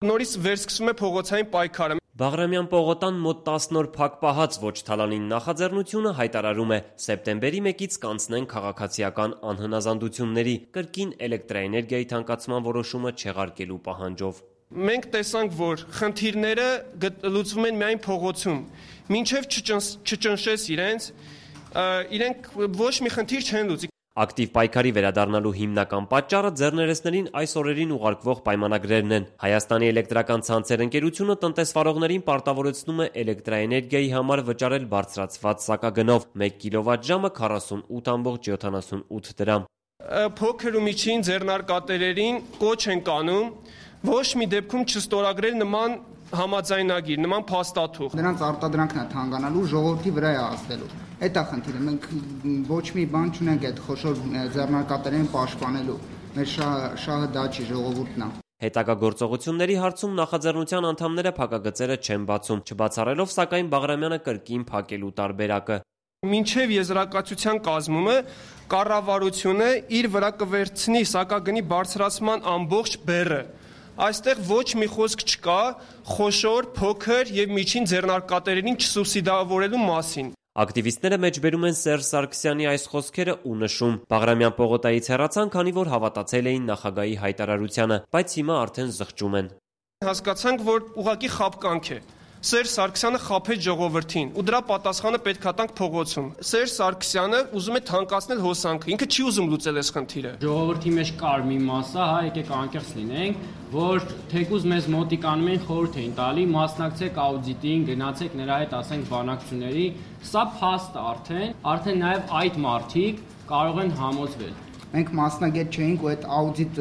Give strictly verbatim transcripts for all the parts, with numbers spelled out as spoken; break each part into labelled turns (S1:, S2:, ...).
S1: Նորից վերսկսում է փողոցային պայքարը։
S2: Բաղրամյան պողոտան մոտ տասն օր փակ պահած ոչ թալանին նախաձեռնությունը հայտարարում է սեպտեմբերի մեկից կանցնեն քաղաքացիական անհնազանդությունների, կրկին էլեկտրաէներգիայի թանկացման որոշումը չեղարկելու պահանջով։
S1: Մենք տեսանք, որ խնդիրները լուծվում են միայն փողոցում, մինչև չճնշես իրենց, իրենք ոչ մի խնդիր չեն լուծի։
S2: Ակտիվ պայքարի վերադառնալու հիմնական պատճառը ձեռներեցներին այս օրերին ուղարկվող պայմանագրերն են։ Հայաստանի էլեկտրական ցանցեր ընկերությունը տնտեսվարողներին պարտավորեցնում է էլեկտրաէներգիայի համար վճարել բարձրացված սակագնով մեկ կիլովատժամը քառասունութ ամբողջ յոթանասունութ դրամ։
S1: Փոքր ու միջին ձեռնարկատերերին կոչ են կանում ոչ մի դեպքում չստորագրել նման համաձայնագիր, նման փաստաթուղթ։
S3: Նրանց արտադրանքն է թանկանալու, ժողովրդի վրա է ազդելու։ Այդ է խնդիրը, մենք ոչ մի բան չունենք այդ խոշոր ձեռնարկատերերին պաշտպանելու։ Մեր շահը դա չի, ժողովուրդն է։
S2: Հետագա գործողությունների հարցում նախաձեռնության անդամները փակագծերը չեն բացում, չբացառելով սակայն Բաղրամյանը կրկին փակելու տարբերակը։
S1: Մինչև եզրակացության կազմումը կառավարությունը իր վրա կվերցնի սակագնի բարձրացման ամբողջ բեռը։ Այստեղ ոչ մի խոսք չկա խոշոր, փոքր եւ միջին ձեռնարկատերերին չսուբսիդավորելու մասին։
S2: Ակտիվիստները մեջբերում են Սերժ Սարգսյանի այս խոսքերը ու նշում. Բաղրամյան պողոտայից հեռացան, քանի որ հավատացել էին նախագահի հայտարարությանը, բայց հիմա արդեն զղջում են։
S1: Հասկացանք, որ ուղղակի խաբկանք է։ Սերժ Սարգսյանը խաբեց ժողովրդին ու դրա պատասխանը պետք է տանք փողոցում։ Սերժ Սարգսյանը ուզում է թանկացնել հոսանքը, ինքը չի ուզում լուծել այս խնդիրը։
S4: Ժողովրդի մեջ կար մի մասա, հա, եկեք անկեղծ լինենք, որ թեկուզ մեզ մոտիկանում են խորհուրդ էին տալի, մասնակցեք աուդիտին, գնացեք նրա հետ, ասենք, բանակցությունների, սա փաստ արդեն, արդեն նաև այդ մարդիկ կարող են համոզվել։
S3: Մենք մասնագետ չէինք ու այդ աուդիտ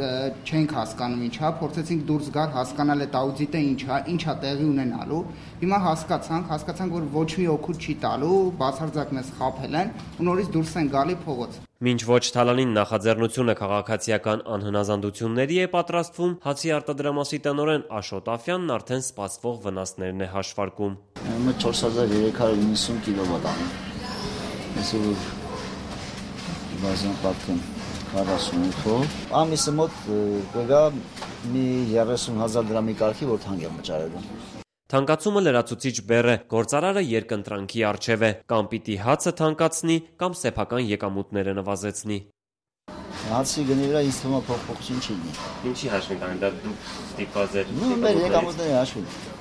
S3: չենք հասկանում ինչա, փորձեցինք դուրս գալ, հասկանալ այդ աուդիտը ինչա, ինչա տեղի ունենալու։ Հիմա հասկացանք, հասկացանք, որ ոչ մի օգուտ չի տալու, բացարձակ մեզ խաբել են ու նորից դուրս են գալի փողոց։
S2: Մինչ ոչ թալանին նախաձեռնությունը քաղաքացիական անհնազանդությունների է պատրաստվում, հացի արտադրամասի տնօրեն Աշոտ Աֆյանն արդեն սպասվող վնասներն է հաշվարկում։
S5: Մոտ չորս հազար երեք հարյուր իննսուն կիլովատ անի։ Այսօր բազան պատկեն քառասունութով, ամիսը մոտ կգա մի երեսուն հազար դրամի կարգի, որ թանկ է վճարելու։
S2: Թանկացումը լրացուցիչ բեռ է, գործարարը երկընտրանքի առջև է, կամ պիտի հացը թանկացնի, կամ սեփական եկամուտները նվազեցնի։
S5: Հացի գնի վրա ինձ թվում է փոփոխություն չի լինի։
S2: Ինչի հաշվի կան, դա դուք ստիպված եք։
S5: Նույն մեր եկամուտների հաշվին։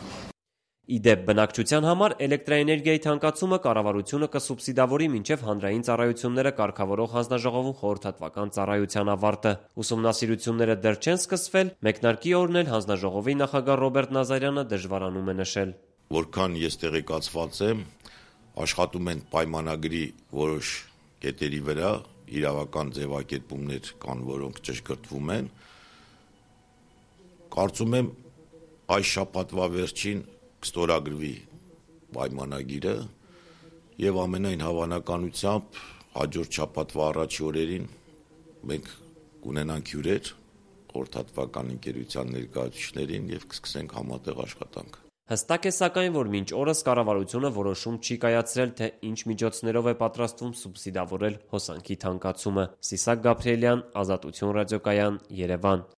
S2: Իդեպ բնակչության համար էլեկտրաէներգիայի թանկացումը կառավարությունը կսուբսիդավորի մինչև հանրային ծառայությունները կարգավորող հանձնաժողովում խորհրդատվական ծառայության ավարտը։ Ուսումնասիրությունները դեռ չեն սկսվել, մեկնարկի օրն էլ հանձնաժողովի նախագահ Ռոբերտ Նազարյանը դժվարանում է նշել։
S6: Որքան ես տեղեկացված եմ, աշխատում են պայմանագրի որոշ կետերի վրա, իրավական ձևակերպումներ կան, որոնք ճշգրտվում են։ Կարծում եմ այս շաբաթվա վերջին կստորագրվի պայմանագիրը եւ ամենայն հավանականությամբ հաջորդ շաբաթվա առաջի օրերին մենք կունենանք հյուրեր խորհրդատվական ընկերության ներկայացուցիչներին եւ կսկսենք համատեղ աշխատանք։
S2: Հստակ է սակայն, որ մինչ օրս կառավարությունը որոշում չի կայացրել, թե ինչ միջոցներով է պատրաստվում սուբսիդավորել հոսանքի թանկացումը։ Սիսակ Գաբրիելյան, Ազատություն ռադիոկայան, Երևան։